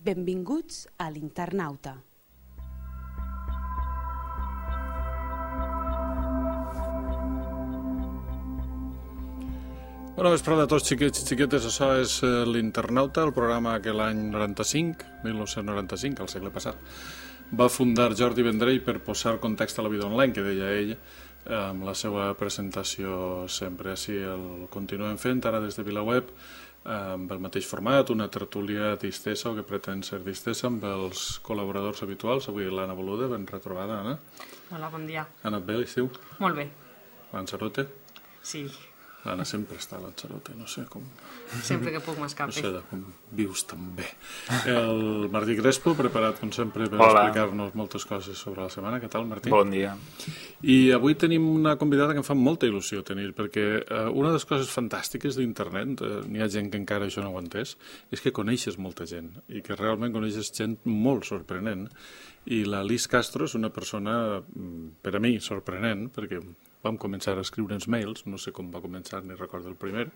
Benvinguts a l'Internauta. Bona vesprada a tots, xiquets i xiquetes. Això és l'Internauta, el programa que l'any 1995, al segle passat, va fundar Jordi Vendrell per posar context a la vida online, que deia ell, amb la seva presentació sempre. Així el continuem fent, ara des de VilaWeb, amb el mateix format, una tertúlia distesa, o que pretén ser distesa, amb els col·laboradors habituals. Avui l'Anna Boluda, ben retrobada, Anna. Hola, bon dia. Ha anat bé l'estiu? Molt bé. Lanzarote? Sí. L'Anna sempre està a Lanzarote, no sé com... Sempre que puc m'escapi. No sé com vius tan bé. El Martí Crespo, preparat com sempre per explicar-nos moltes coses sobre la setmana. Què tal, Martí? Bon dia. I avui tenim una convidada que em fa molta il·lusió tenir, perquè una de les coses fantàstiques d'internet, n'hi ha gent que encara això no ho ha entès, és que coneixes molta gent, i que realment coneixes gent molt sorprenent. I la Liz Castro és una persona, per a mi, sorprenent, perquè vam començar a escriure'ns mails, no sé com va començar, ni recordo el primer,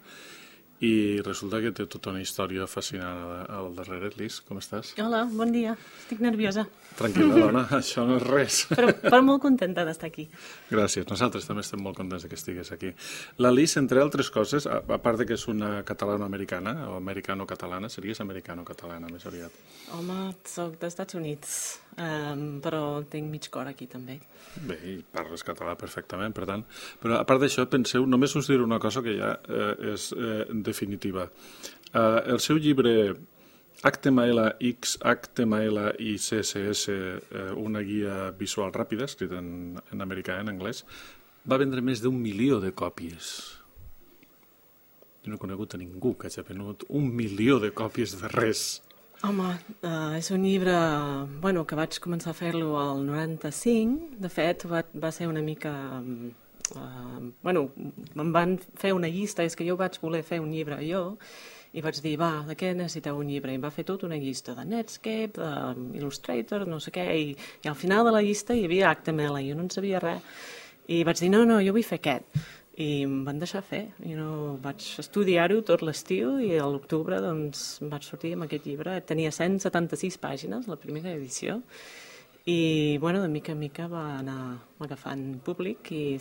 i resulta que té tota una història fascinant al darrere. Liz, com estàs? Hola, bon dia. Estic nerviosa. Tranquil·la, dona, això no és res. Però molt contenta d'estar aquí. Gràcies, nosaltres també estem molt contents que estigues aquí. La Liz, entre altres coses, a part que és una catalano-americana, o americano-catalana, series americano-catalana, més aviat. Home, soc dels Estats Units, però tinc mig cor aquí també. Bé, i parles català perfectament, per tant. Però a part d'això, penseu, només us diré una cosa que ja és definitiva. El seu llibre HTML, HTML i CSS, una guia visual ràpida, escrit en americà, en anglès, va vendre més d'1 milió de còpies. Jo no he conegut a ningú que hagi venut 1 milió de còpies de res. Home, és un llibre que vaig començar a fer-lo al 95. De fet, va ser una mica... em van fer una llista, és que jo vaig voler fer un llibre jo, i vaig dir, de què necessiteu un llibre? I em va fer tota una llista de Netscape, d'Illustrator, no sé què, i al final de la llista hi havia HTML, i jo no en sabia res. I vaig dir, no, jo vull fer aquest. I em van deixar fer. Vaig estudiar-ho tot l'estiu i a l'octubre vaig sortir amb aquest llibre. Tenia 176 pàgines, la primera edició, i de mica en mica va anar agafant públic i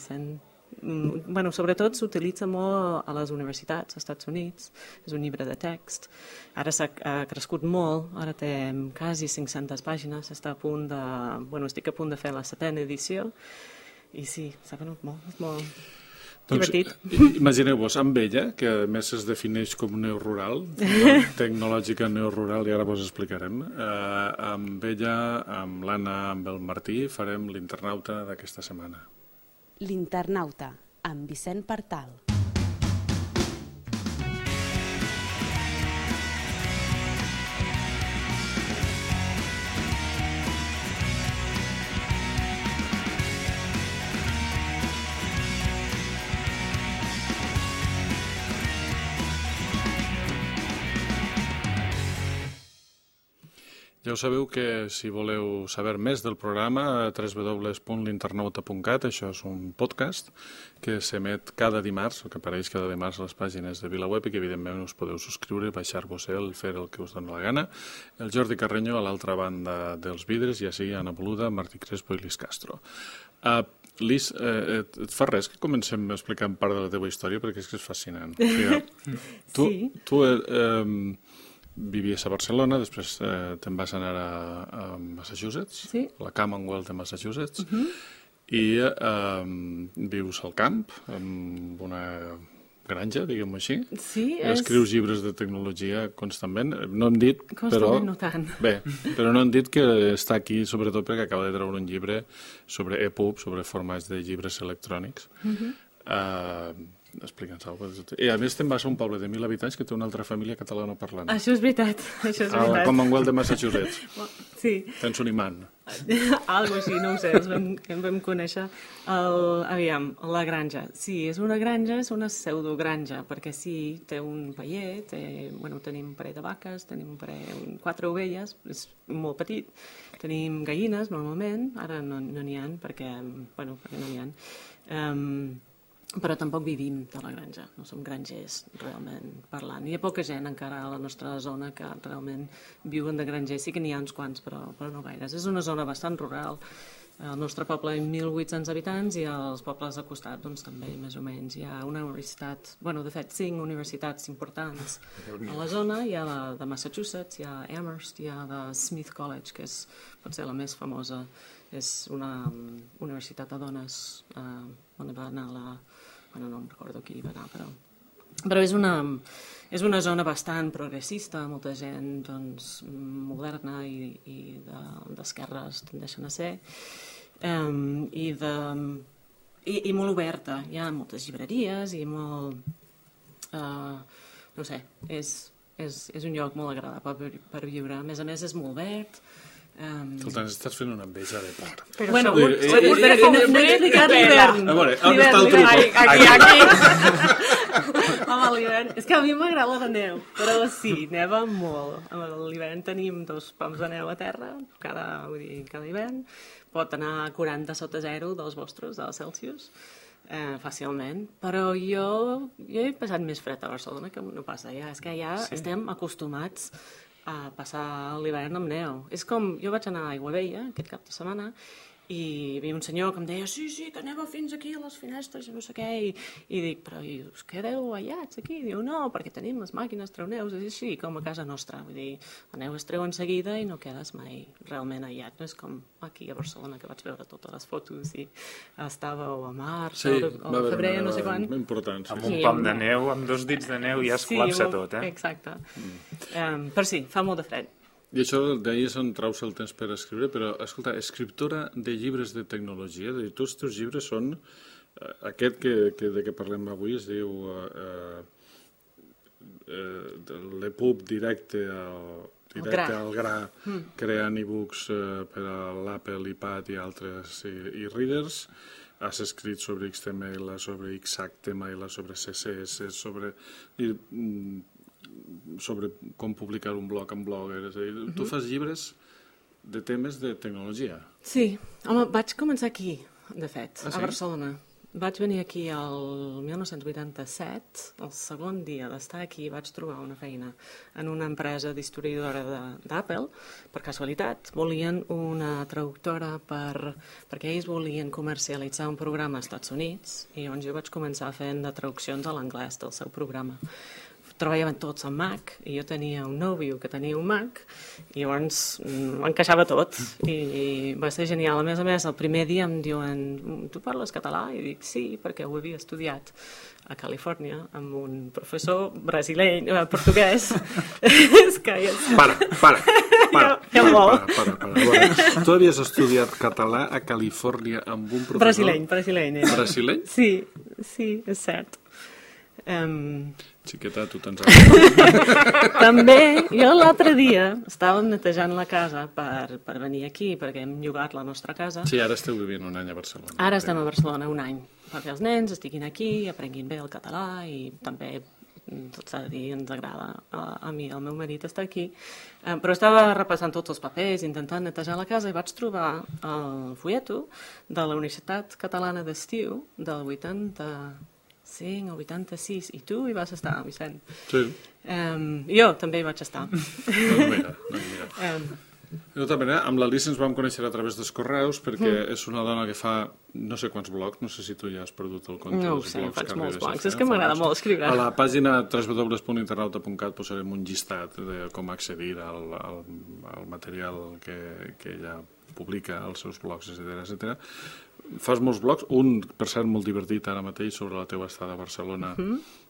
sobretot s'utilitza molt a les universitats als Estats Units. És un llibre de text. Ara ha crescut molt, ara té quasi 500 pàgines, estic a punt de fer la 7a edició i sí, s'ha venut molt, és molt... divertit. Imagineu-vos, amb ella, que a més es defineix com neorural, tecnològica neorural, i ara vos explicarem, amb ella, amb l'Anna, amb el Martí, farem l'Internauta d'aquesta setmana. L'Internauta, amb Vicent Partal. Ja ho sabeu que si voleu saber més del programa, www.l'internauta.cat, això és un podcast que s'emet cada dimarts, o que apareix cada dimarts a les pàgines de VilaWeb, i que evidentment us podeu subscriure, baixar-vos fer el que us doni la gana. El Jordi Carreño a l'altra banda dels vidres, i així Anna Boluda, Martí Crespo i Liz Castro. Liz, et fa res que comencem explicant part de la teva història, perquè és que és fascinant. Sí. Tu vivies a Barcelona, després te'n vas anar a Massachusetts, sí. La Commonwealth de Massachusetts, i vius al camp, en una granja, diguem-ho així. Sí, escrius llibres de tecnologia constantment. No hem dit, constantment no tant. Bé, però no hem dit que està aquí sobretot perquè acaba de treure un llibre sobre EPUB, sobre formats de llibres electrònics. Explica'ns alguna cosa. I a més te'n vas a un poble de 1.000 habitants que té una altra família catalano-parlant. Això és veritat, A la Commonwealth de Massachusetts. Sí. Tens un imant. Algo així, no ho sé, em vam conèixer. Aviam, la granja. Sí, és una granja, és una pseudogranja, perquè sí, té un paller, tenim un parell de vaques, tenim 4 ovelles, és molt petit. Tenim gallines, normalment, ara no n'hi ha, perquè no n'hi ha. però tampoc vivim de la granja, no som grangers realment parlant. Hi ha poca gent encara a la nostra zona que realment viuen de grangers, sí que n'hi ha uns quants, però no gaires. És una zona bastant rural. El nostre poble hi ha 1.800 habitants i els pobles al costat doncs, també, més o menys. Hi ha una universitat, de fet, 5 universitats importants a la zona. Hi ha la de Massachusetts, hi ha Amherst, hi ha de Smith College, que és potser la més famosa. És una universitat de dones on va anar no em recordo qui va anar, però és una zona bastant progressista, molta gent doncs, moderna i d'esquerres tendeixen a ser, i molt oberta. Hi ha moltes llibreries i molt... no sé, és un lloc molt agradable per viure. A més, és molt verd. Escolta, estàs fent una enveja de part. Bueno, no he explicat l'hivern. A veure, on està el truc? Aquí. Home, l'hivern... És que a mi m'agrada la neu, però sí, neva molt. A l'hivern tenim 2 pams de neu a terra, cada hivern. Pot anar a 40 sota 0 dels vostres, dels Celsius, fàcilment. Però jo he passat més fred a Barcelona que no passa allà. És que allà estem acostumats a passar l'hivern amb neu. És com, jo vaig anar a Aiguabella aquest cap de setmana i hi havia un senyor que em deia sí, que neva fins aquí a les finestres i no sé què, i dic, però us quedeu aïllats aquí? I diu, no, perquè tenim les màquines treu-neus, és així com a casa nostra, vull dir, la neu es treu en seguida i no quedes mai realment aïllat, no és com aquí a Barcelona que vaig veure totes les fotos i estàveu a març o a febrer, no sé quan. Important, amb un pam de neu, amb 2 dits de neu ja es col·lapsa tot, Exacte. Però sí, fa molt de fred. I això d'ahir és on traus el temps per escriure, però, escolta, escriptora de llibres de tecnologia, és a dir, tots els teus llibres són... Aquest de què parlem avui es diu l'EPUB directe al gra, creant e-books per a l'Apple, iPad i altres e-readers. Has escrit sobre XML, sobre XHTML, sobre CSS, sobre com publicar un blog en Blogger, és a dir, tu fas llibres de temes de tecnologia. Sí, home, vaig començar aquí, de fet, a Barcelona. Vaig venir aquí el 1987, el segon dia d'estar aquí vaig trobar una feina en una empresa d'historiadora d'Apple, per casualitat. Volien una traductora perquè ells volien comercialitzar un programa als Estats Units i llavors jo vaig començar fent de traduccions a l'anglès del seu programa. Treballaven tots amb Mac i jo tenia un nòvio que tenia un Mac i llavors m'encaixava tot i va ser genial. A més, el primer dia em diuen tu parles català? I dic sí, perquè ho havia estudiat a Califòrnia amb un professor portuguès. És que... Para. Tu havies estudiat català a Califòrnia amb un professor... Brasileny. Brasileny? Sí, és cert. Xiqueta, tu tens També, jo l'altre dia estàvem netejant la casa per venir aquí, perquè hem llogat la nostra casa. Sí, ara esteu vivint un any a Barcelona. Ara estem a Barcelona un any, perquè els nens estiguin aquí, aprenguin bé el català i també, tot s'ha de dir, ens agrada a mi, al meu marit estar aquí. Però estava repassant tots els papers, intentant netejar la casa i vaig trobar el folleto de la Universitat Catalana d'Estiu del 85 o 86, i tu hi vas estar, Vicent. Sí. Jo també hi vaig estar. Mira. De tota manera, amb l'Alice ens vam conèixer a través dels correus perquè és una dona que fa no sé quants blogs, no sé si tu ja has perdut el compte dels blogs. No ho sé, faig molts blogs, és que m'agrada molt escriure. A la pàgina www.internauta.cat posarem un llistat de com accedir al material que ella publica als seus blogs, etc. Fas molts blogs, un, per cert, molt divertit ara mateix sobre la teva estada a Barcelona,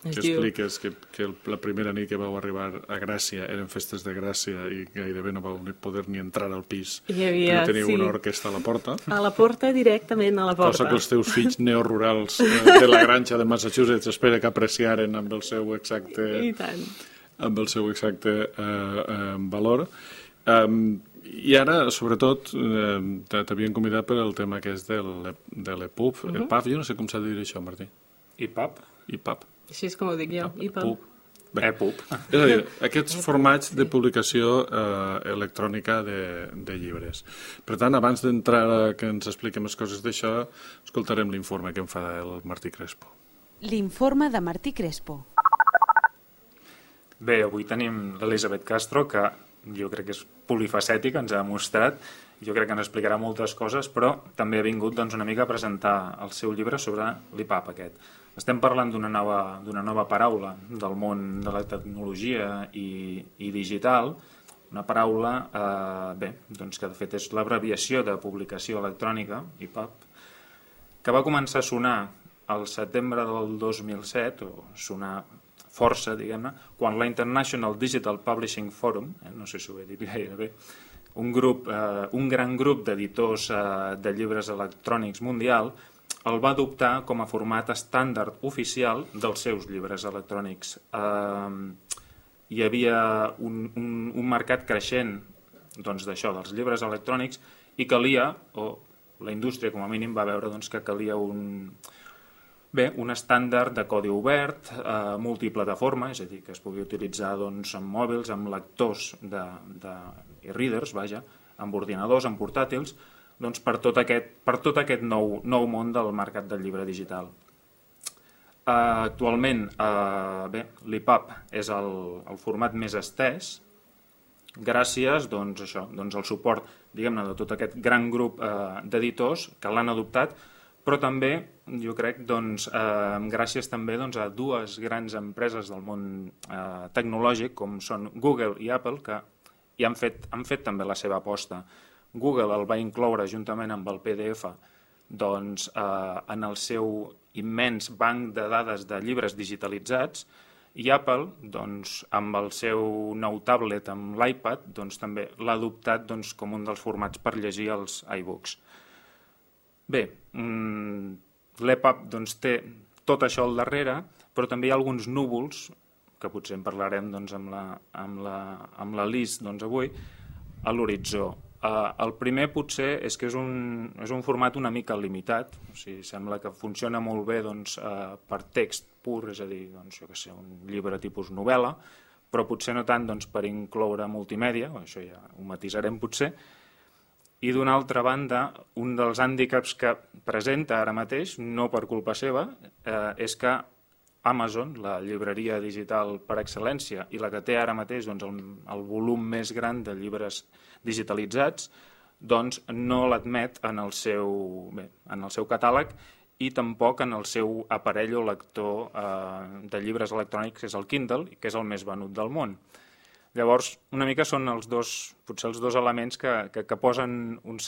que expliques que la primera nit que vau arribar a Gràcia eren festes de Gràcia i gairebé no vau poder ni entrar al pis, perquè teniu una orquestra a la porta. A la porta, directament a la porta. Cosa que els teus fills neorurals de la granja de Massachusetts espera que apreciaren amb el seu exacte valor. I ara, sobretot, t'havien convidat per al tema que és de l'EPUB. EPUB, jo no sé com s'ha de dir això, Martí. EPUB? EPUB. Així és com ho dic jo, EPUB. EPUB. És a dir, aquests formats de publicació electrònica de llibres. Per tant, abans d'entrar que ens expliquem les coses d'això, escoltarem l'informe que em fa el Martí Crespo. L'informe de Martí Crespo. Bé, avui tenim l'Elisabet Castro, que jo crec que és polifacètica, ens ha demostrat. Jo crec que ens explicarà moltes coses, però també ha vingut una mica a presentar el seu llibre sobre l'IPAP aquest. Estem parlant d'una nova paraula del món de la tecnologia i digital, una paraula que de fet és l'abreviació de publicació electrònica, IPAP, que va començar a sonar al setembre del 2007, o sonar força, diguem-ne, quan la International Digital Publishing Forum, no sé si ho he dit gaire bé, un gran grup d'editors de llibres electrònics mundial el va adoptar com a format estàndard oficial dels seus llibres electrònics. Hi havia un mercat creixent d'això, dels llibres electrònics, i calia, o la indústria com a mínim va veure que calia un estàndard de codi obert, multiplataforma, és a dir, que es pugui utilitzar amb mòbils, amb lectors i readers, amb ordinadors, amb portàtils, per tot aquest nou món del mercat del llibre digital. Actualment, l'IPAP és el format més estès, gràcies al suport, diguem-ne, de tot aquest gran grup d'editors que l'han adoptat, però també, jo crec, gràcies també a dues grans empreses del món tecnològic, com són Google i Apple, que hi han fet també la seva aposta. Google el va incloure juntament amb el PDF en el seu immens banc de dades de llibres digitalitzats, i Apple, amb el seu nou tablet, amb l'iPad, també l'ha adoptat com un dels formats per llegir els iBooks. Bé, l'EPUB té tot això al darrere, però també hi ha alguns núvols, que potser en parlarem amb la Liz avui, a l'horitzó. El primer potser és que és un format una mica limitat, o sigui, sembla que funciona molt bé per text pur, és a dir, un llibre tipus novel·la, però potser no tant per incloure multimèdia, això ja ho matisarem potser. I d'una altra banda, un dels hàndicaps que presenta ara mateix, no per culpa seva, és que Amazon, la llibreria digital per excel·lència i la que té ara mateix el volum més gran de llibres digitalitzats, no l'admet en el seu catàleg i tampoc en el seu aparell o lector de llibres electrònics, que és el Kindle, que és el més venut del món. Llavors, una mica són potser els dos elements que posen una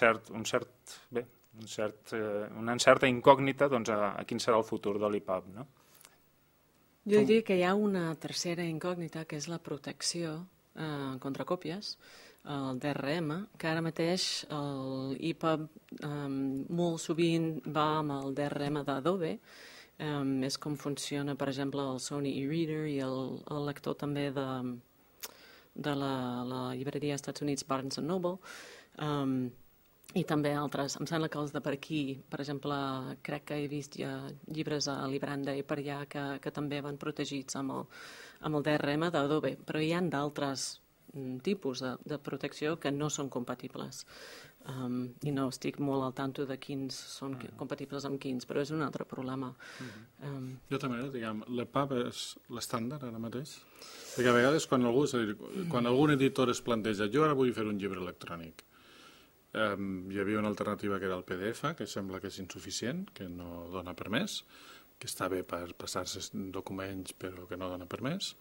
certa incògnita a quin serà el futur de l'IPAP, no? Jo diria que hi ha una tercera incògnita, que és la protecció contra còpies, el DRM, que ara mateix l'IPUB molt sovint va amb el DRM d'Adobe, és com funciona, per exemple, el Sony e-reader i el lector també de la llibreria als Estats Units Barnes & Noble, i també altres. Em sembla que els de per aquí, per exemple, crec que he vist ja llibres a Libranda i per allà que també van protegits amb el DRM d'Adobe, però hi ha d'altres tipus de protecció que no són compatibles. I no estic molt al tanto de quins són compatibles amb quins, però és un altre problema. Jo també, diguem, l'EPUB és l'estàndard ara mateix? Perquè a vegades quan algun editor es planteja jo ara vull fer un llibre electrònic, hi havia una alternativa que era el PDF, que sembla que és insuficient, que no dona per més, que està bé per passar-se documents però que no dona per més.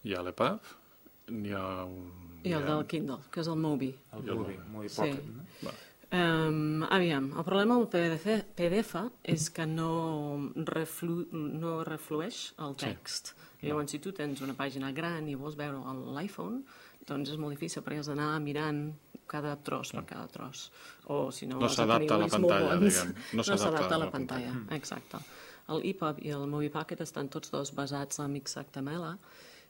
Hi ha l'EPUB, n'hi ha i el del Kindle, que és el Mobi. El Mobi Pocket, no? Aviam, el problema amb el PDF és que no reflueix el text. Llavors, si tu tens una pàgina gran i vols veure l'iPhone, doncs és molt difícil perquè has d'anar mirant cada tros per cada tros. O si no s'adapta a la pantalla, diguem. No s'adapta a la pantalla, exacte. El EPUB i el Mobi Pocket estan tots dos basats en XHTML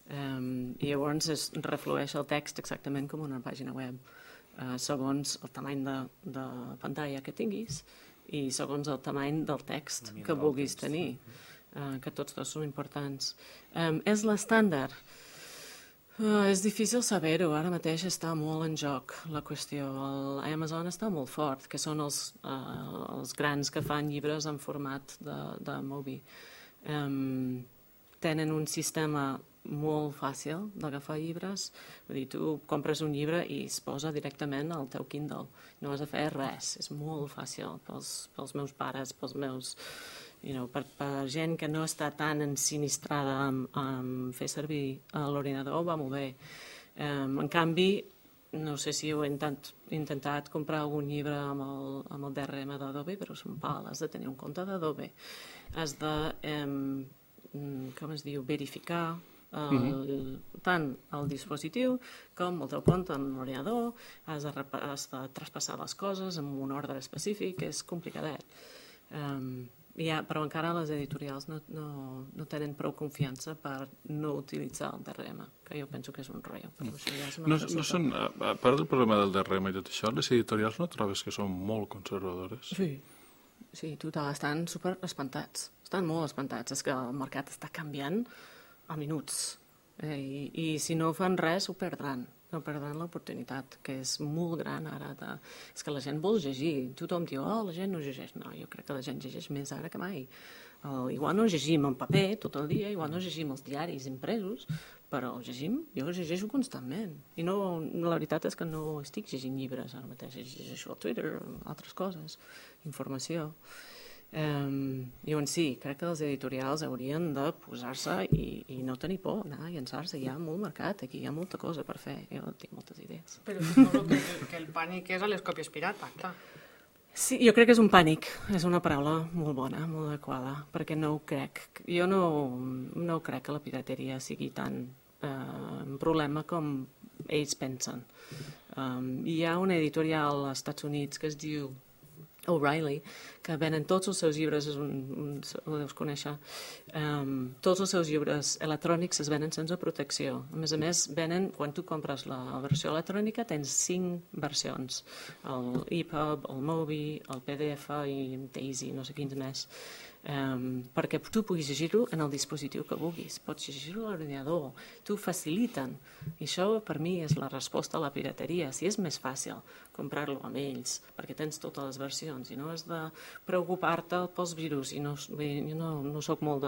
i llavors reflueix el text exactament com una pàgina web, segons el tamany de pantalla que tinguis i segons el tamany del text que vulguis tenir, que tots dos són importants. És l'estàndard? És difícil saber-ho, ara mateix està molt en joc la qüestió. Amazon està molt fort, que són els grans que fan llibres en format de Mobi. tenen un sistema molt fàcil d'agafar llibres. Vull dir, tu compres un llibre i es posa directament al teu Kindle. No has de fer res. És molt fàcil pels meus pares, pels meus... per gent que no està tan ensinistrada en fer servir l'ordinador, va molt bé. En canvi, no sé si heu intentat comprar algun llibre amb el DRM d'Adobe, però és un pal, has de tenir un compte d'Adobe. Has de, com es diu, verificar tant el dispositiu com el teu compte en l'ordinador, has de traspassar les coses en un ordre específic, és complicadet. Però encara les editorials no tenen prou confiança per no utilitzar el DRM, que jo penso que és un rotllo. A part del problema del DRM i tot això, les editorials no trobes que són molt conservadores? Sí, total, estan super espantats. Estan molt espantats. És que el mercat està canviant a minuts. I si no fan res, ho perdran. No perdran l'oportunitat, que és molt gran ara. És que la gent vol llegir. Tothom diu, la gent no llegeix. No, jo crec que la gent llegeix més ara que mai. Igual no llegim en paper tot el dia, igual no llegim els diaris impresos, però llegim, jo llegeixo constantment. I la veritat és que no estic llegint llibres ara mateix, llegeixo al Twitter, altres coses, informació. Llavors sí, crec que els editorials haurien de posar-se i no tenir por, anar a llançar-se. Hi ha molt mercat, aquí hi ha molta cosa per fer. Jo tinc moltes idees. Però suposo que el pànic és a les còpies pirata, clar. Sí, jo crec que és un pànic. És una paraula molt bona, molt adequada, perquè no ho crec. Jo no crec que la pirateria sigui tan un problema com ells pensen. Hi ha una editorial als Estats Units que es diu O'Reilly, que venen tots els seus llibres, ho deus conèixer, tots els seus llibres electrònics es venen sense protecció. A més, venen, quan tu compres la versió electrònica, tens 5 versions, el EPUB, el Mobi, el PDF i Daisy, no sé quins més, perquè tu puguis llegir-ho en el dispositiu que vulguis, pots llegir-ho a l'ordinador, t'ho faciliten, i això per mi és la resposta a la pirateria. Si és més fàcil comprar-lo amb ells, perquè tens totes les versions i no has de preocupar-te pels virus, i no soc molt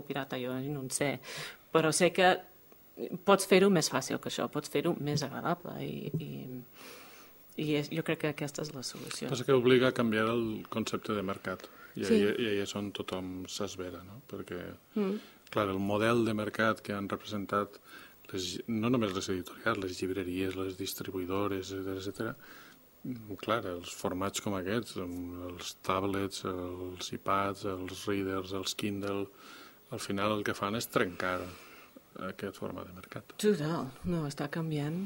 pirata jo, no en sé, però sé que pots fer-ho més fàcil que això, pots fer-ho més agradable i jo crec que aquesta és la solució. Passa que obliga a canviar el concepte de mercat. I ahí és on tothom s'esvera, no? Perquè, clar, el model de mercat que han representat no només les editorials, les llibreries, les distribuïdores, etc. Clar, els formats com aquests, els tablets, els iPads, els readers, els Kindle, al final el que fan és trencar aquest format de mercat. Total, no, està canviant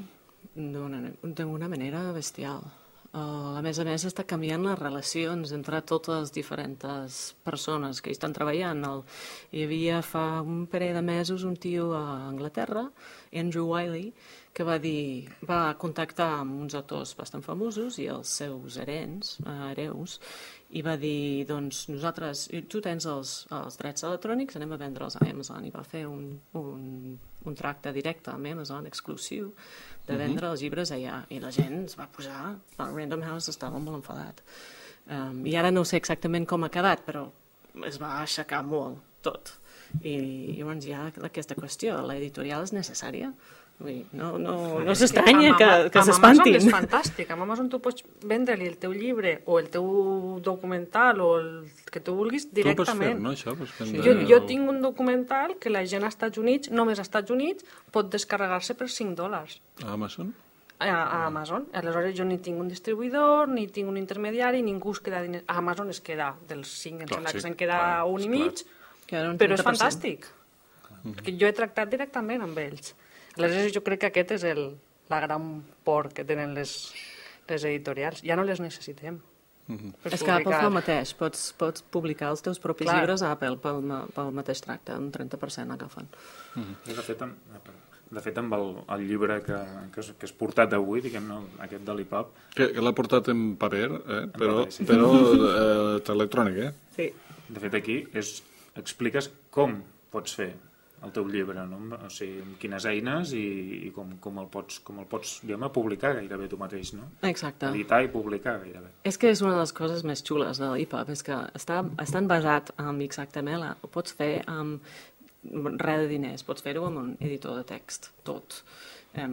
d'una manera bestial. A més, està canviant les relacions entre totes les diferents persones que hi estan treballant. Hi havia fa un parell de mesos un tio a Anglaterra, Andrew Wiley, que va contactar amb uns autors bastant famosos i els seus hereus, i va dir, doncs, nosaltres, tu tens els drets electrònics, anem a vendre'ls a Amazon, i va fer un tracte directe amb Amazon, exclusiu, de vendre els llibres allà, i la gent es va posar, el Random House estava molt enfadat. I ara no sé exactament com ha quedat, però es va aixecar molt tot. I llavors hi ha aquesta qüestió, l'editorial és necessària? No s'estranya que s'espantin. Amb Amazon és fantàstic. Amb Amazon tu pots vendre-li el teu llibre o el teu documental o el que tu vulguis directament. Tu ho pots fer, no, això? Jo tinc un documental que la gent als Estats Units, només als Estats Units, pot descarregar-se per $5. A Amazon? A Amazon. Aleshores jo ni tinc un distribuïdor, ni tinc un intermediari, ningú es queda diners. A Amazon es queda dels 5, em sembla que se'n queda un i mig, però és fantàstic. Perquè jo he tractat directament amb ells. Aleshores jo crec que aquest és la gran por que tenen les editorials. Ja no les necessitem. És que Apple fa el mateix. Pots publicar els teus propis llibres a Apple pel mateix tracte, un 30% agafen. De fet, amb el llibre que has portat avui, diguem-ne, aquest de l'EPUB... Que l'ha portat en paper, però electrònic, Sí. De fet, aquí expliques com pots fer el teu llibre, no? O sigui, amb quines eines i com el pots diguem-ne, publicar gairebé tu mateix, no? Exacte. Editar i publicar gairebé. És que és una de les coses més xules de l'EPUB, és que estan basat en XHTML, ho pots fer amb res de diners, pots fer-ho amb un editor de text, tot.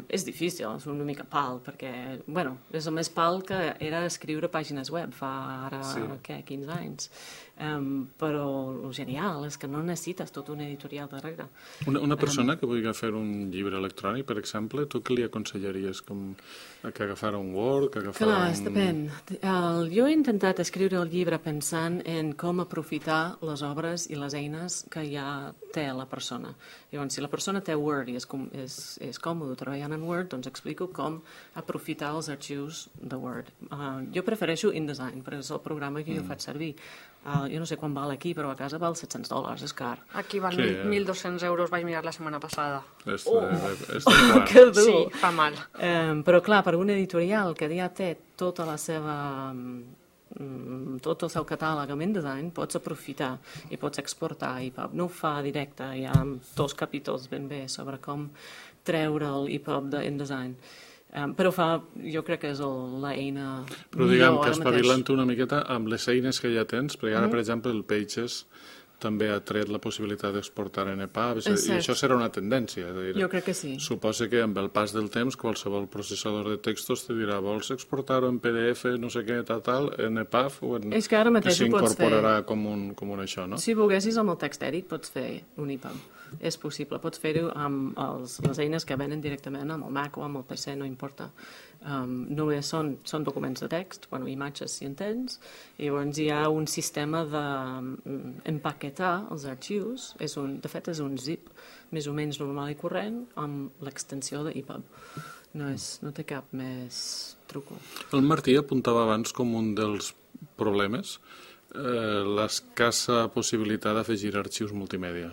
És difícil, és una mica pal, perquè, bueno, és el més pal que era escriure pàgines web fa ara, 15 anys. Però el genial és que no necessites tot un editorial darrere. Una persona que vulgui fer un llibre electrònic, per exemple, tu què li aconsellaries? Que agafara un Word, que agafara Clar, depèn. Jo he intentat escriure el llibre pensant en com aprofitar les obres i les eines que ja té la persona. Llavors, si la persona té Word i és còmode treballant en Word, doncs explico com aprofitar els arxius de Word. Jo prefereixo InDesign, perquè és el programa que jo faig servir. Jo no sé quan val aquí, però a casa val $700, és car. Aquí val 1.200 euros, vaig mirar la setmana passada. Que dur! Sí, fa mal. Però clar, per un editorial que ja té tota la seva... tot el seu catàleg amb InDesign, pots aprofitar i pots exportar EPUB. No ho fa directe, hi ha 2 capítols ben bé sobre com treure l'EPUB d'InDesign. Però jo crec que és l'eina millor. Però diguem que espavilant una miqueta amb les eines que ja tens, perquè ara, per exemple, el Pages també ha tret la possibilitat d'exportar en EPUB, i això serà una tendència. Jo crec que sí. Suposa que amb el pas del temps qualsevol processador de textos te dirà vols exportar-ho en PDF, no sé què, tal, en EPUB, o en... És que ara mateix ho pots fer. S'incorporarà com un això, no? Si volguessis amb el TextEdit pots fer un EPUB. És possible. Pots fer-ho amb les eines que venen directament amb el Mac o amb el PC, no importa. Només són documents de text, imatges si en tens, i llavors hi ha un sistema d'empaquetar els arxius, de fet és un zip més o menys normal i corrent amb l'extensió d'EPUB. No té cap més truco. El Martí apuntava abans com un dels problemes l'escassa possibilitat d'afegir arxius multimèdia.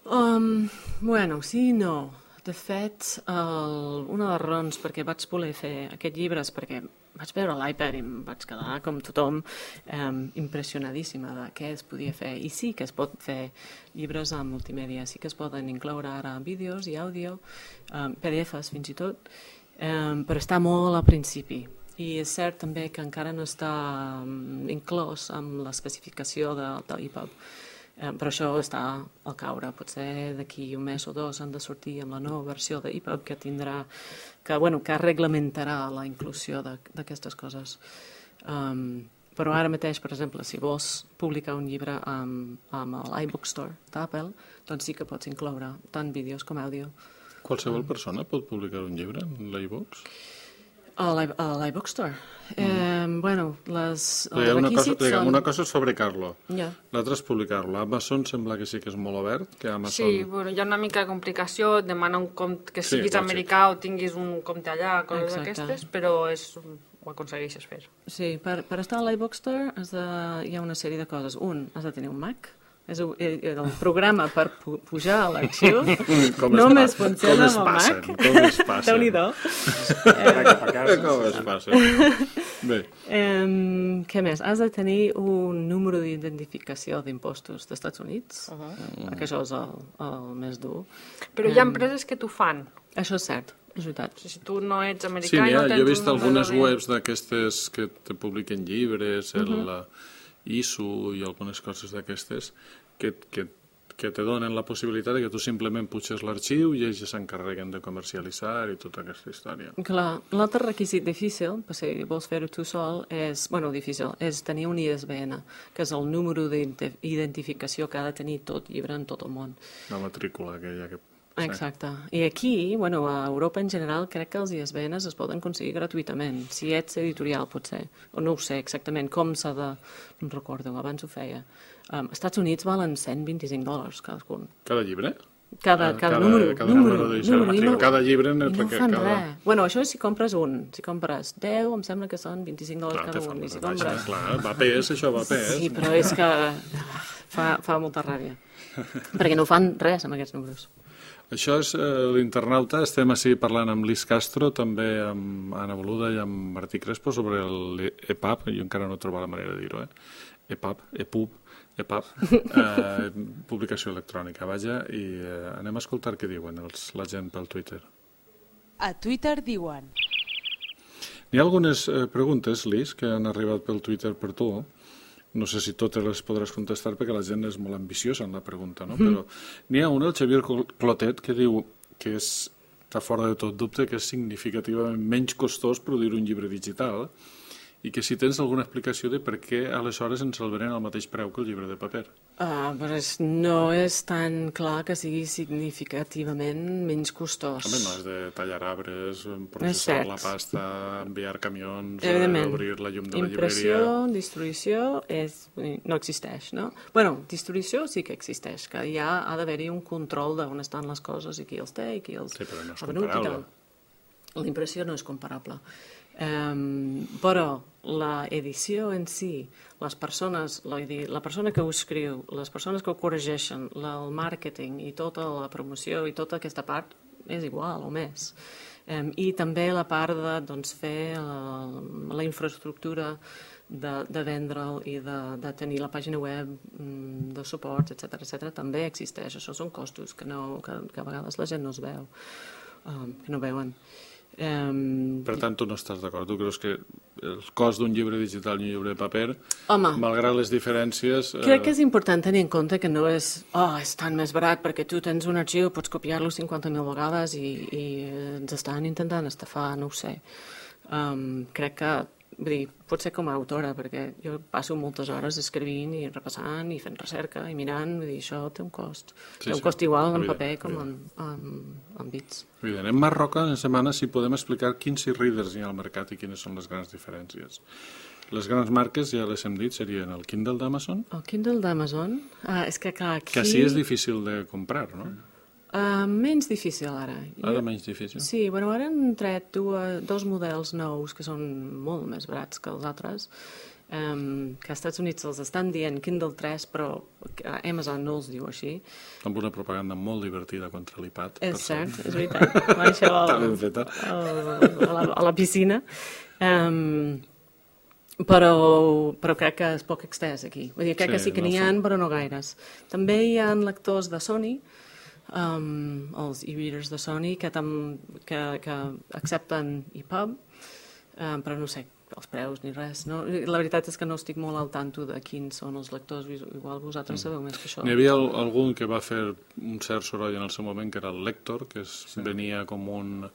Sí i no. De fet, una de les raons perquè vaig voler fer aquest llibre és perquè vaig veure l'iPad i em vaig quedar, com tothom, impressionadíssima de què es podia fer. I sí que es pot fer llibres en multimèdia, sí que es poden incloure ara vídeos i àudio, PDFs fins i tot, però està molt al principi. I és cert també que encara no està inclòs amb l'especificació de l'EPUB. Però això està al caure. Potser d'aquí un mes o 2 han de sortir amb la nova versió d'EPUB que reglamentarà la inclusió d'aquestes coses. Però ara mateix, per exemple, si vols publicar un llibre amb l'iBookstore d'Apple, doncs sí que pots incloure tant vídeos com àudio. Qualsevol persona pot publicar un llibre en l'iBooks? A l'iBookstore. Els requisits són... Una cosa és fabricar-lo, l'altra és publicar-lo. Amazon sembla que sí que és molt obert. Sí, hi ha una mica de complicació, et demana un compte que siguis americà o tinguis un compte allà, coses d'aquestes, però ho aconsegueixes fer. Sí, per estar a l'iBookstore hi ha una sèrie de coses. Has de tenir un Mac, és el programa per pujar a l'arxiu, només funciona amb el Mac. Com es passa? Déu-n'hi-do. Com es passa? Bé. Què més? Has de tenir un número d'identificació d'impostos dels Estats Units, perquè això és el més dur. Però hi ha empreses que t'ho fan. Això és cert. És veritat. Si tu no ets americà... Sí, jo he vist algunes webs d'aquestes que te publiquen llibres, ISO i algunes coses d'aquestes que te donen la possibilitat que tu simplement puges l'arxiu i ells s'encarreguen de comercialitzar i tota aquesta història. Clar, l'altre requisit difícil, si vols fer-ho tu sol, és tenir un ISBN, que és el número d'identificació que ha de tenir tot llibre en tot el món. La matrícula aquella que... Exacte. I aquí, a Europa en general, crec que els ISBNs es poden aconseguir gratuïtament. Si ets editorial, potser. O no ho sé exactament com s'ha de... No em recordo, abans ho feia. Als Estats Units valen $125 cadascun. Cada llibre? Cada número. Cada llibre... I no fan res. Això és si compres un. Si compres 10, em sembla que són $25 cada un. I si compres... Clar, va pes, això va pes. Sí, però és que fa molta ràbia. Perquè no fan res amb aquests números. Això és l'internauta. Estem així parlant amb Lis Castro, també amb Anna Boluda i amb Martí Crespo sobre l'EPUB. Jo encara no he trobat la manera de dir-ho, EPUB, EPUB, publicació electrònica, vaja, i anem a escoltar què diuen la gent pel Twitter. A Twitter diuen... N'hi ha algunes preguntes, Liz, que han arribat pel Twitter per tu. No sé si totes les podràs contestar perquè la gent és molt ambiciosa en la pregunta, no? Però n'hi ha una, el Xavier Clotet, que diu que està fora de tot dubte que és significativament menys costós produir un llibre digital i que si tens alguna explicació de per què aleshores ens el venen al mateix preu que el llibre de paper. Però no és tan clar que sigui significativament menys costós. Home, no és de tallar arbres, processar la pasta, enviar camions, obrir la llum de la llibreria... Impressió, distribució, no existeix, no? Bueno, distribució sí que existeix, que ja ha d'haver-hi un control d'on estan les coses i qui els té i qui els... Sí, però no és comparable. La impressió no és comparable. Però l'edició en si, les persones, la persona que ho escriu, les persones que ho corregeixen, el màrqueting i tota la promoció i tota aquesta part és igual o més. I també la part de fer la infraestructura de vendre'l i de tenir la pàgina web de suports, etc. també existeix. Això són costos que a vegades la gent no es veu, que no veuen. Per tant, tu no estàs d'acord. Tu creus que el cost d'un llibre digital i un llibre de paper, malgrat les diferències... Crec que és important tenir en compte que no és tan més barat perquè tu tens un arxiu, pots copiar-lo 50.000 vegades i ens estan intentant estafar, no ho sé. Crec que, vull dir, pot ser com a autora, perquè jo passo moltes hores escrivint i repassant i fent recerca i mirant, vull dir, això té un cost. Té un cost igual en paper com en bits. Evident. En Marc Roca, en setmana, si podem explicar quins e-readers hi ha al mercat i quines són les grans diferències. Les grans marques, ja les hem dit, serien el Kindle d'Amazon. El Kindle d'Amazon? És que clar, aquí... Que sí és difícil de comprar, no? Menys difícil ara. Ara menys difícil? Sí, bueno, ara han tret dos models nous que són molt més barats que els altres, que als Estats Units els estan dient Kindle 3, però Amazon no els diu així. Amb una propaganda molt divertida contra l'iPad. És cert, és veritat. Això a la piscina. Però crec que és poc extès aquí. Vull dir, crec que sí que n'hi ha, però no gaires. També hi ha lectors de Sony, els e-readers de Sony que accepten EPUB, però no sé els preus ni res. No? La veritat és que no estic molt al tanto de quins són els lectors, igual vosaltres sabeu més que això. N'hi havia algun que va fer un cert soroll en el seu moment, que era el Lector, que venia com un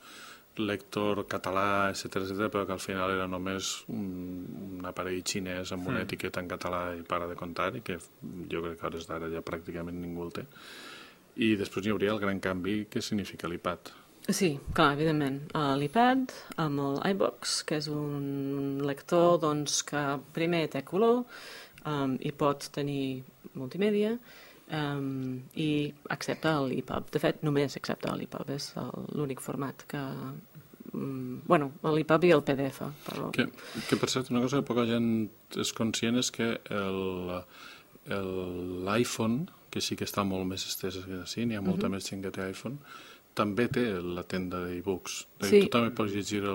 lector català, etc., però que al final era només un aparell xinès amb una etiqueta en català i para de comptar, i que jo crec que a hores d'ara ja pràcticament ningú el té. I després hi hauria el gran canvi que significa l'iPad. Sí, clar, evidentment. L'iPad amb el iBox, que és un lector que primer té color i pot tenir multimèdia i accepta l'EPUB. De fet, només accepta l'EPUB, és l'únic format que... Bueno, l'EPUB i el PDF. Però... Que per cert, una cosa que poca gent és conscient és que l'iPhone, que sí que està molt més estès que així, n'hi ha molta més gent que té iPhone, també té la tenda d'e-books. Tu també pots llegir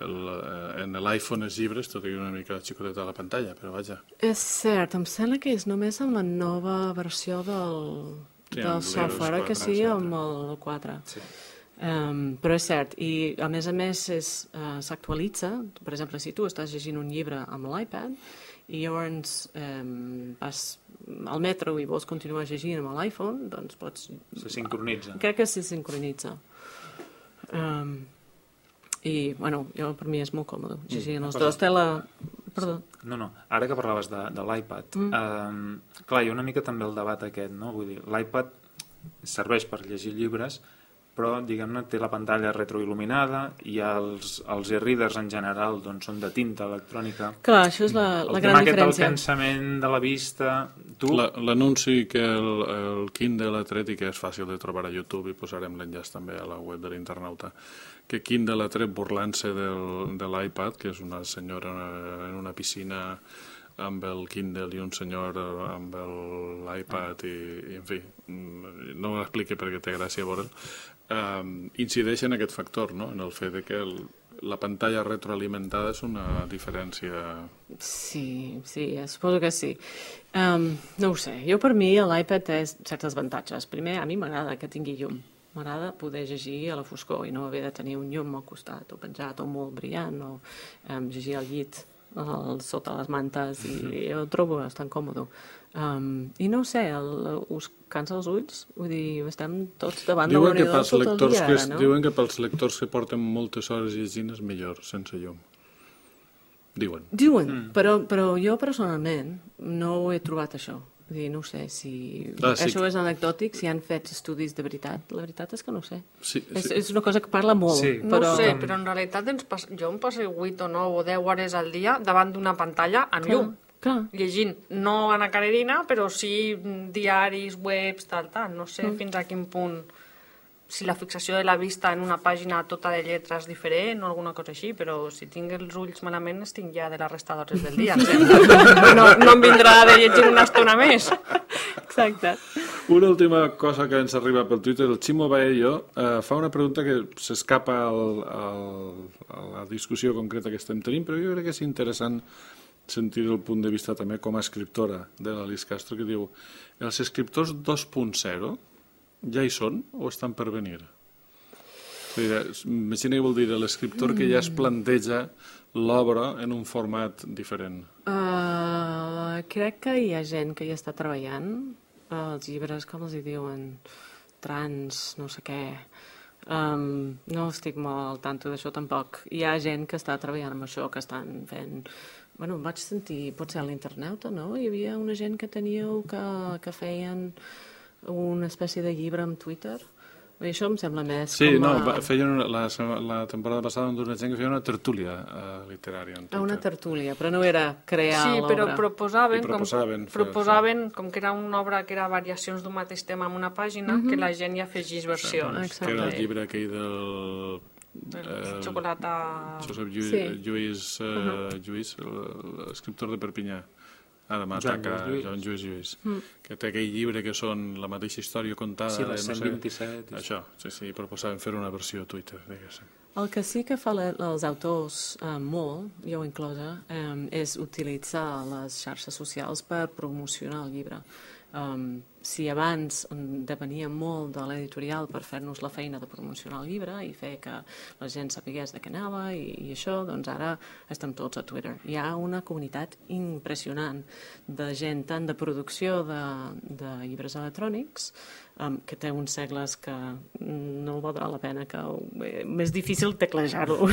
en l'iPhone els llibres, tot i una mica xicoteta a la pantalla, però vaja. És cert, em sembla que és només amb la nova versió del software, que sí, amb el 4. Sí. Però és cert, i a més s'actualitza. Per exemple, si tu estàs llegint un llibre amb l'iPad i llavors vas al metro i vols continuar llegint amb l'iPhone, doncs pots... Se sincronitza. Crec que se sincronitza. I, bueno, per mi és molt còmode llegir en els dos. Perdó. No, ara que parlaves de l'iPad, clar, hi ha una mica també el debat aquest, no? Vull dir, l'iPad serveix per llegir llibres, però, diguem-ne, té la pantalla retroil·luminada i els e-readers en general doncs, són de tinta electrònica. Clar, això és la gran diferència. El tema del cansament de la vista... L'anunci que el Kindle ha tret i que és fàcil de trobar a YouTube, i posarem l'enllaç també a la web de l'internauta, que Kindle ha tret burlant-se de l'iPad, que és una senyora en una piscina amb el Kindle i un senyor amb l'iPad i en fi, no m'expliqui perquè té gràcia veure'l, incideix en aquest factor, no? En el fet de que la pantalla retroalimentada és una diferència... Sí, suposo que sí. No ho sé, jo per mi l'iPad té certs avantatges. Primer, a mi m'agrada que tingui llum. M'agrada poder llegir a la foscor i no haver de tenir un llum al costat o penjat o molt brillant o llegir al llit sota les mantes i jo ho trobo bastant còmode. I no ho sé, us cansa els ulls? Vull dir, estem tots davant de l'ordinador tot el dia ara, no? Diuen que pels lectors que porten moltes hores llegint és millor sense llum. Diuen, però jo personalment no ho he trobat això. Vull dir, no ho sé, si això és anecdòtic, si han fet estudis de veritat. La veritat és que no ho sé. És una cosa que parla molt. No ho sé, però en realitat jo em passo 8 o 9 o 10 hores al dia davant d'una pantalla amb llum. Llegint, no Ana Karenina, però sí diaris, webs, tal. No sé fins a quin punt, si la fixació de la vista en una pàgina tota de lletres diferent o alguna cosa així, però si tinc els ulls malament estic ja de la resta d'hores del dia. No em vindrà de llegir una estona més. Exacte. Una última cosa que ens arriba pel Twitter, el Ximo Baello fa una pregunta que s'escapa a la discussió concreta que estem tenint, però jo crec que és interessant sentir el punt de vista també com a escriptora de l'Alice Castro, que diu: els escriptors 2.0 ja hi són o estan per venir? Imagina què vol dir l'escriptor que ja es planteja l'obra en un format diferent. Crec que hi ha gent que hi està treballant. Els llibres, com els hi diuen? Trans, no sé què. No estic molt al tanto d'això tampoc. Hi ha gent que està treballant amb això, que estan fent... Bueno, vaig sentir, potser a l'Internauta, no? Hi havia una gent que teníeu que feien una espècie de llibre amb Twitter. I això em sembla més feien la temporada passada una gent que feia una tertúlia literària en Twitter. Una tertúlia, però no era crear l'obra. Sí, però proposaven com que era una obra que era variacions d'un mateix tema en una pàgina, que la gent hi afegís versions. Que era el llibre aquell del... Xocolata... Josep Lluís, l'escriptor de Perpinyà, ara m'ataca Joan Lluís, que té aquell llibre que són la mateixa història contada. Sí, les 127. Això, sí, proposaven fer una versió a Twitter, diguéssim. El que sí que fa els autors molt, jo inclosa, és utilitzar les xarxes socials per promocionar el llibre. Si abans depenia molt de l'editorial per fer-nos la feina de promocionar el llibre i fer que la gent sapigués de què anava i això, doncs ara estem tots a Twitter. Hi ha una comunitat impressionant de gent, tant de producció de llibres electrònics, que té uns segles que no valdrà la pena, que és difícil teclejar-lo,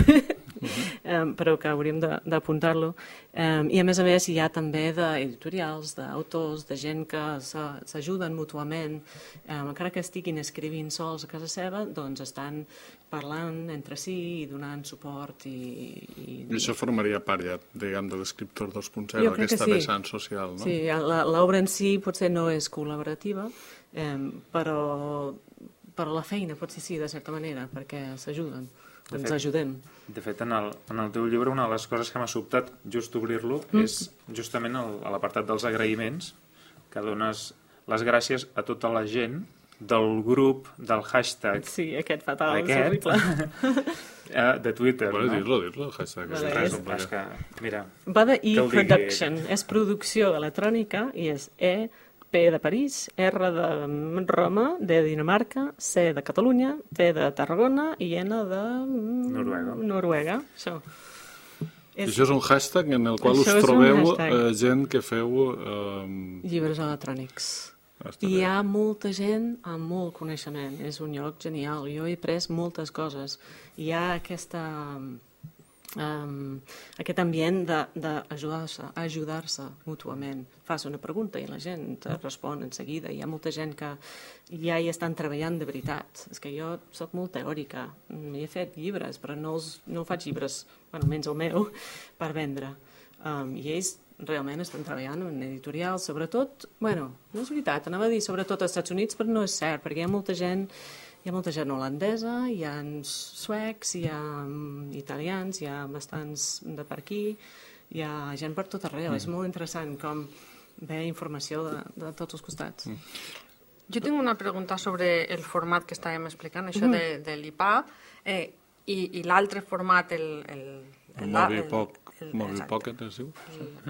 però que hauríem d'apuntar-lo. I a més hi ha també d'editorials, d'autors, de gent que s'ajuden mútuament, encara que estiguin escrivint sols a casa seva, doncs estan parlant entre si i donant suport. I això formaria part ja, diguem, de l'escriptor 2.0, aquesta vessant social, no? Sí, l'obra en si potser no és col·laborativa, però la feina potser sí, de certa manera, perquè s'ajuden, ens ajudem. De fet, en el teu llibre, una de les coses que m'ha sobtat just obrir-lo és justament a l'apartat dels agraïments, que dones les gràcies a tota la gent del grup, del hashtag... Sí, aquest fatal, és horrible. De Twitter, no? Dir-lo, el hashtag. És que, mira... Va de e-production, és producció electrònica i és P de París, R de Roma, D de Dinamarca, C de Catalunya, T de Tarragona i N de... Noruega. Això. Això és un hashtag en el qual us trobeu gent que feu... llibres electrònics. I hi ha molta gent amb molt coneixement. És un lloc genial. Jo he après moltes coses. Hi ha aquest ambient d'ajudar-se mútuament. Fas una pregunta i la gent te respon en seguida. Hi ha molta gent que ja hi estan treballant de veritat. És que jo soc molt teòrica. He fet llibres, però no faig llibres, almenys el meu, per vendre. I ells realment estan treballant en editorials, sobretot, no és veritat, anava a dir sobretot als Estats Units, però no és cert, perquè hi ha molta gent holandesa, hi ha suecs, hi ha italians, hi ha bastants de per aquí, hi ha gent per tot arreu. És molt interessant com ve informació de tots els costats. Jo tinc una pregunta sobre el format que estàvem explicant, això de l'IPA. i l'altre format, el Mobi Pocket, es diu?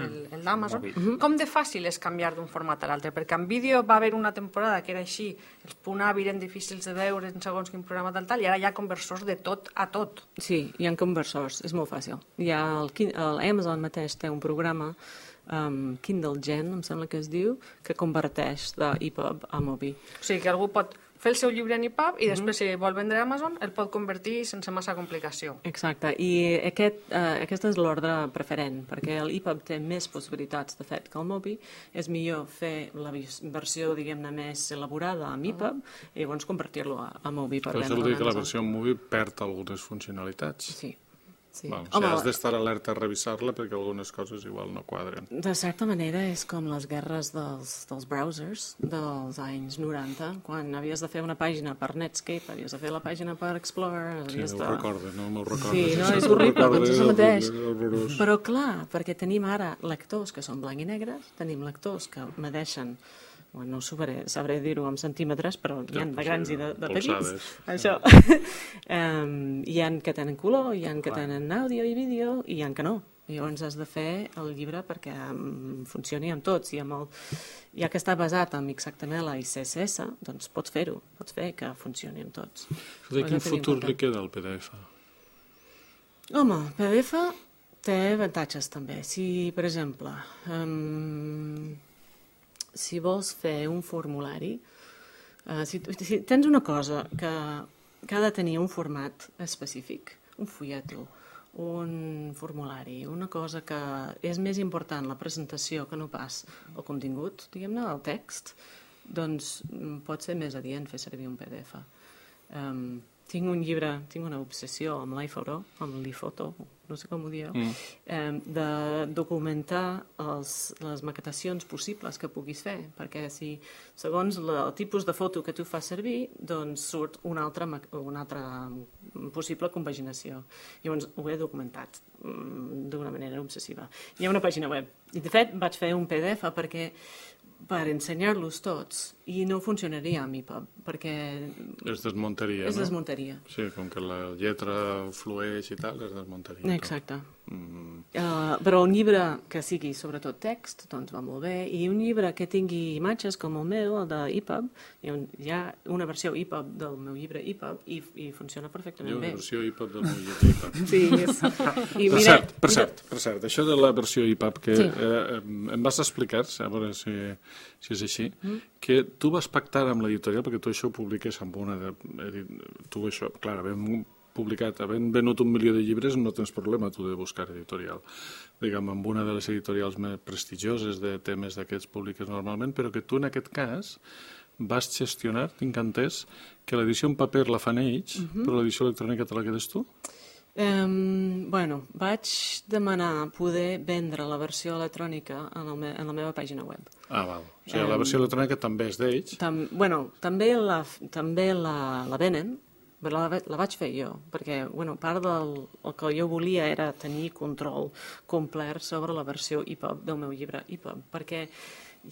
El d'Amazon. Com de fàcil és canviar d'un format a l'altre? Perquè en vídeo va haver una temporada que era així, els .avi eren difícils de veure en segons quin programa tal, i ara hi ha conversors de tot a tot. Sí, hi ha conversors, és molt fàcil. Amazon mateix té un programa, Kindle Gen, em sembla que es diu, que converteix d'EPUB a Mobi. O sigui que algú pot fer el seu llibre en EPUB i després, si vol vendre a Amazon, el pot convertir sense massa complicació. Exacte, i aquest és l'ordre preferent, perquè l'EPUB té més possibilitats, de fet, que el Mobi. És millor fer la versió, diguem-ne, més elaborada amb EPUB i llavors convertir-lo a Mobi per vendre. Això vol dir que la versió Mobi perd algunes funcionalitats. Sí. Sí. Bueno, o sigui, has d'estar alerta a revisar-la perquè algunes coses igual no quadren. De certa manera és com les guerres dels browsers dels anys 90, quan havies de fer una pàgina per Netscape, havies de fer la pàgina per Explorer... Sí, no ho recordo, no me'l recordo. Sí, no, és horrible, doncs és el mateix. Però clar, perquè tenim ara lectors que són blanc i negres, tenim lectors que medeixen, no sabré dir-ho en centímetres, però hi ha de grans i de petits. Això. Hi ha que tenen color, hi ha que tenen àudio i vídeo, i hi ha que no. Llavors has de fer el llibre perquè funcioni amb tots. Ja que està basat en XHTML i CSS, doncs pots fer-ho, pots fer que funcioni amb tots. Quin futur li queda al PDF? Home, PDF té avantatges també. Si, per exemple, si vols fer un formulari, si tens una cosa que ha de tenir un format específic, un fulleto, un formulari, una cosa que és més important la presentació que no pas el contingut, diguem-ne, el text, doncs pot ser més adient fer servir un PDF. Tinc un llibre, tinc una obsessió amb l'iPhoto, amb l'iPhoto, no sé com ho dieu, de documentar les maquetacions possibles que puguis fer, perquè si segons el tipus de foto que tu fas servir, doncs surt una altra possible compaginació. Llavors ho he documentat d'una manera obsessiva. Hi ha una pàgina web, i de fet vaig fer un PDF per ensenyar-los tots, i no funcionaria amb EPUB, perquè... Es desmuntaria, no? Es desmuntaria. Sí, com que la lletra flueix i tal, es desmuntaria. Exacte. Però un llibre que sigui sobretot text, doncs va molt bé, i un llibre que tingui imatges com el meu, el d'EPUB, hi ha una versió EPUB del meu llibre EPUB i funciona perfectament bé. Hi ha una versió EPUB del meu llibre EPUB. Sí, Per cert, això de la versió EPUB, que em vas explicar, a veure si és així, que tu vas pactar amb l'editorial, perquè tu això ho publiques amb una... Tu això, clar, havent venut 1 milió de llibres, no tens problema tu de buscar editorial. Diguem, amb una de les editorials més prestigioses de temes d'aquests publiques normalment, però que tu en aquest cas vas gestionar, tinc entès, que l'edició en paper la fan ells, però l'edició electrònica te la quedes tu? Vaig demanar poder vendre la versió electrònica en la meva pàgina web. Ah, val. O sigui, la versió electrònica també és d'ells? També la venen, però la vaig fer jo, perquè part del que jo volia era tenir control complet sobre la versió EPUB del meu llibre EPUB, perquè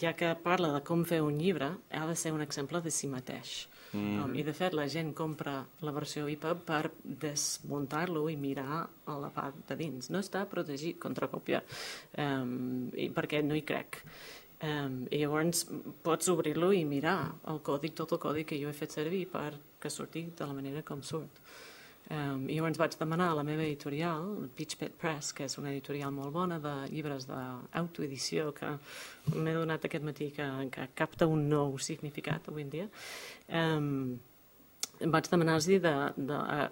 ja que parla de com fer un llibre, ha de ser un exemple de si mateix. I de fet la gent compra la versió EPUB per desmuntar-lo i mirar a la part de dins. No està protegit contra còpia perquè no hi crec. I llavors pots obrir-lo i mirar tot el còdic que jo he fet servir perquè surti de la manera com surt. I llavors vaig demanar a la meva editorial, Pitchpet Press, que és una editorial molt bona de llibres d'autoedició, que m'he donat aquest matí que capta un nou significat avui en dia, vaig demanar-los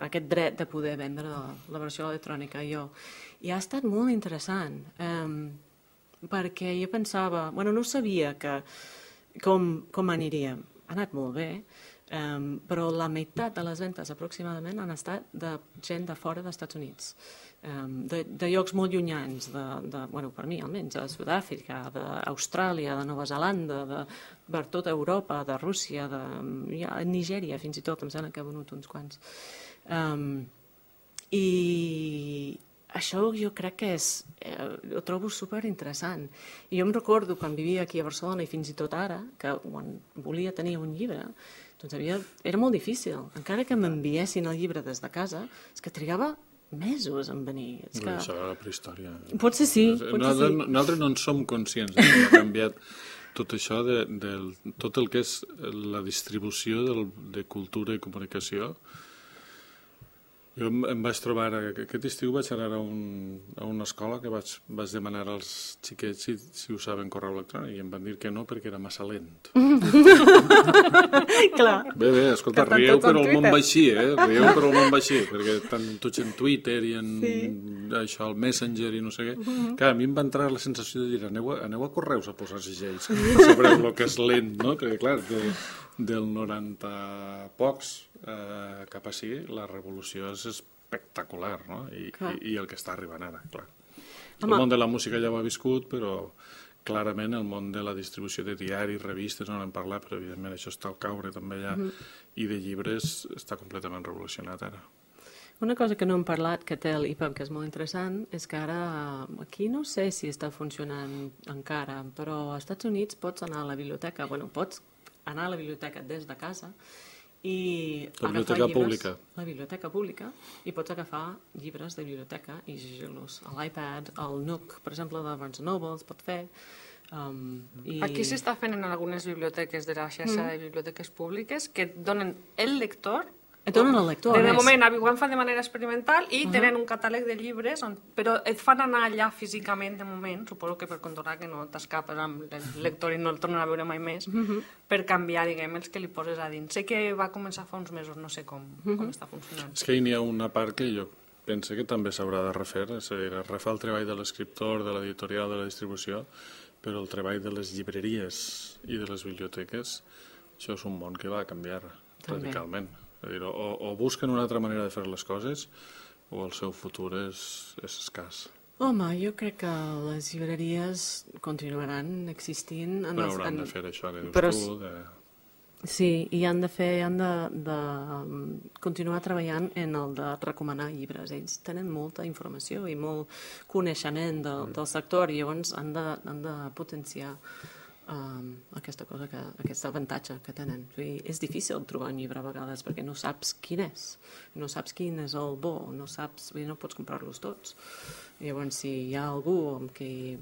aquest dret de poder vendre la versió electrònica jo. I ha estat molt interessant, perquè jo pensava, no sabia com aniria. Ha anat molt bé, però la meitat de les ventes aproximadament han estat de gent de fora dels Estats Units, de llocs molt llunyans, per mi almenys, de Sud-àfrica, d'Austràlia, de Nova Zelanda, per tota Europa, de Rússia, de Nigèria fins i tot, em sembla que ha venut uns quants. I això jo crec que ho trobo superinteressant. I jo em recordo quan vivia aquí a Barcelona i fins i tot ara, que quan volia tenir un llibre, Doncs era molt difícil. Encara que m'enviessin el llibre des de casa, és que trigava mesos en venir. Això era la prehistòria. Potser sí. Nosaltres no en som conscients que ha canviat tot això de tot el que és la distribució de cultura i comunicació. Jo em vaig trobar, aquest estiu vaig anar a una escola que vaig demanar als xiquets si usaven correu electrònic i em van dir que no perquè era massa lent. Clar. Bé, escolta, rieu però el món va així, rieu però el món va així, perquè tant tots en Twitter i en això, el Messenger i no sé què. Clar, a mi em va entrar la sensació de dir aneu a correus a posar segells, sabreu el que és lent, no? Perquè clar, del 90 pocs cap així, la revolució és espectacular, no? I el que està arribant ara, clar. El món de la música ja ho ha viscut, però clarament el món de la distribució de diaris, revistes, no n'hem parlat, però evidentment això està al caure també ja, i de llibres està completament revolucionat ara. Una cosa que no hem parlat, que té l'EPUB, que és molt interessant, és que ara, aquí no sé si està funcionant encara, però als Estats Units pots anar a la biblioteca, pots anar a la biblioteca des de casa i agafar llibres... La biblioteca pública, i pots agafar llibres de biblioteca i llegir-los a l'iPad, al Nook, per exemple, de Barnes & Noble, es pot fer. Aquí s'està fent en algunes biblioteques de la xarxa de biblioteques públiques que et donen el lector. Et donen el lector, de moment, ho han fet de manera experimental i tenen un catàleg de llibres, però et fan anar allà físicament de moment, suposo que per controlar que no t'escapes amb el lector i no el tornen a veure mai més, per canviar, diguem, els que li poses a dins. Sé que va començar fa uns mesos, no sé com està funcionant. És que n'hi ha una part que jo penso que també s'haurà de refer, és a dir, refar el treball de l'escriptor, de l'editorial, de la distribució, però el treball de les llibreries i de les biblioteques, això és un món que va canviar radicalment. És a dir, o busquen una altra manera de fer les coses o el seu futur és escàs. Home, jo crec que les llibreries continuaran existint. Però hauran de fer això que dius tu. Sí, i han de continuar treballant en el de recomanar llibres. Ells tenen molta informació i molt coneixement del sector i llavors han de potenciar aquesta cosa, aquest avantatge que tenen. És difícil trobar un llibre a vegades perquè no saps quin és, no saps quin és el bo, no pots comprar-los tots. Llavors, si hi ha algú amb qui...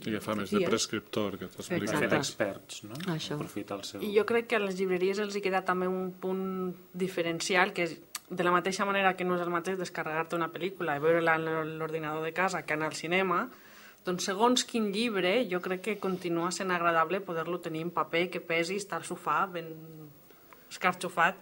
I fa més de prescriptor que t'explica. Fer d'experts, no? Aprofitar el seu... I jo crec que a les llibreries els hi queda també un punt diferencial, que és de la mateixa manera que no és el mateix descarregar-te una pel·lícula i veure-la en l'ordinador de casa que anar al cinema. Doncs segons quin llibre, jo crec que continua sent agradable poder-lo tenir en paper, que pesi, estar al sofà ben escarxofat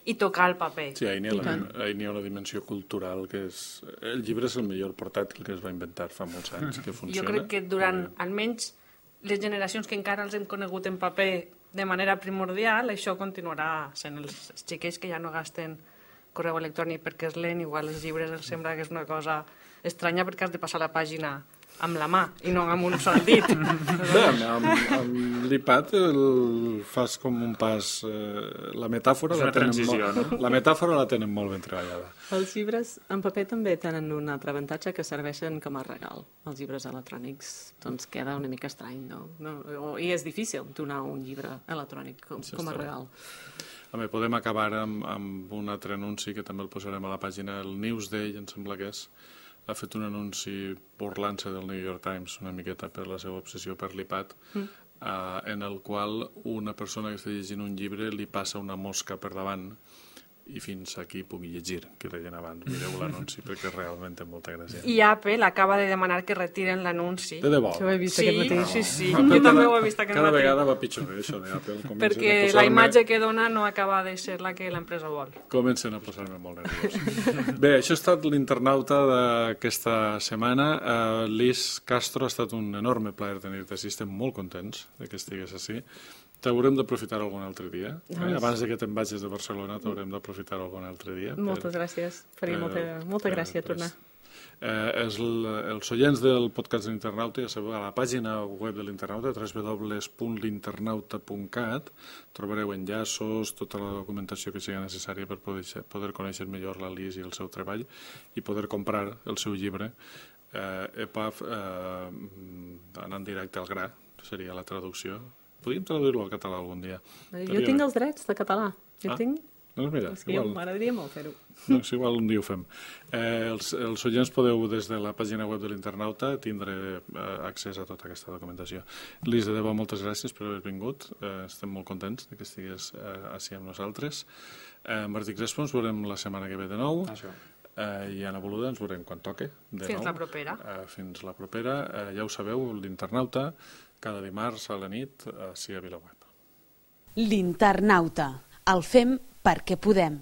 i tocar el paper. Sí, ahí n'hi ha una dimensió cultural que és... El llibre és el millor portàtil que es va inventar fa molts anys, que funciona. Jo crec que durant almenys les generacions que encara els hem conegut en paper de manera primordial, això continuarà sent els xiquets que ja no gasten correu electrònic perquè és lent, igual els llibres els sembla que és una cosa estranya perquè has de passar la pàgina amb la mà i no amb un sol dit. Bé, amb l'iPad fas com un pas... La metàfora la tenen molt ben treballada. Els llibres en paper també tenen un altre avantatge, que serveixen com a regal. Els llibres electrònics doncs queda una mica estrany, no? I és difícil donar un llibre electrònic com a regal. Podem acabar amb un altre anunci que també el posarem a la pàgina, el Newsday, em sembla que ha fet un anunci burlant-se del New York Times una miqueta per la seva obsessió per l'iPad, en el qual una persona que està llegint un llibre li passa una mosca per davant i fins aquí pugui llegir, que deien abans. Mireu l'anunci perquè realment té molta gràcia. I Apple acaba de demanar que retiren l'anunci. De debò? Això ho he vist aquest matí. Sí. Jo també ho he vist aquest matí. Cada vegada va pitjor, això d'Apple. Perquè la imatge que dona no acaba de ser la que l'empresa vol. Comencen a posar-me molt nerviós. Bé, això ha estat l'internauta d'aquesta setmana. Liz Castro, ha estat un enorme plaer tenir-te així. Estem molt contents que estigués així. T'haurem d'aprofitar algun altre dia. Abans que te'n vagis de Barcelona t'haurem d'aprofitar algun altre dia. Moltes gràcies. Faria molta gràcia tornar. Els oients del podcast de l'Internauta, ja sabeu, a la pàgina web de l'Internauta, www.l'internauta.cat, trobareu enllaços, tota la documentació que sigui necessària per poder conèixer millor la Liz i el seu treball i poder comprar el seu llibre. EPUB, anant directe al gra, seria la traducció. Podríem traduir-lo al català algun dia. Jo tinc els drets de català. Jo tinc... Doncs mira, igual. M'agradaria molt fer-ho. Doncs igual un dia ho fem. Els oients podeu, des de la pàgina web de l'Internauta, tindre accés a tota aquesta documentació. Lis, de debò, moltes gràcies per haver vingut. Estem molt contents que estigues així amb nosaltres. Martí Crespo, ens veurem la setmana que ve de nou. I Anna Boluda ens veurem quan toque. Fins la propera. Fins la propera. Ja ho sabeu, l'Internauta, cada dimarts a la nit, així a VilaWeb. L'Internauta. El fem perquè podem.